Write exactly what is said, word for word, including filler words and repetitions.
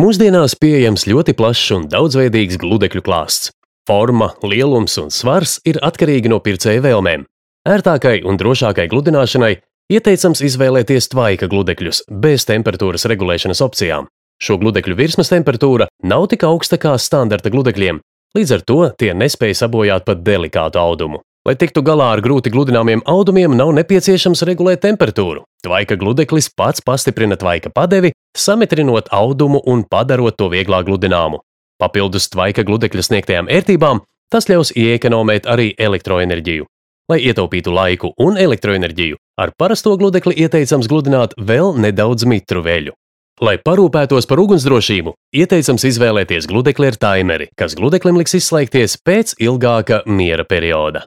Mūsdienās pieejams ļoti plašs un daudzveidīgs gludekļu klāsts. Forma, lielums un svars ir atkarīgi no pircēja vēlmēm. Ērtākai un drošākai gludināšanai ieteicams izvēlēties tvaika gludekļus bez temperatūras regulēšanas opcijām. Šo gludekļu virsmas temperatūra nav tik augsta kā standarta gludekļiem, līdz ar to tie nespēj sabojāt pat delikātu audumu. Lai tiktu galā ar grūti gludināmiem audumiem, nav nepieciešams regulēt temperatūru. Tvaika gludeklis pats pastiprina tvaika padevi, samitrinot audumu un padarot to vieglāk gludināmu. Papildus tvaika gludekļa sniegtajām ērtībām, tas ļaus ieekonomēt arī elektroenerģiju. Lai ietaupītu laiku un elektroenerģiju, ar parasto gludekli ieteicams gludināt vēl nedaudz mitru veļu. Lai parūpētos par ugunsdrošību, ieteicams izvēlēties gludekli ar taimeri, kas gludeklim liks izslēgties pēc ilgāka miera perioda.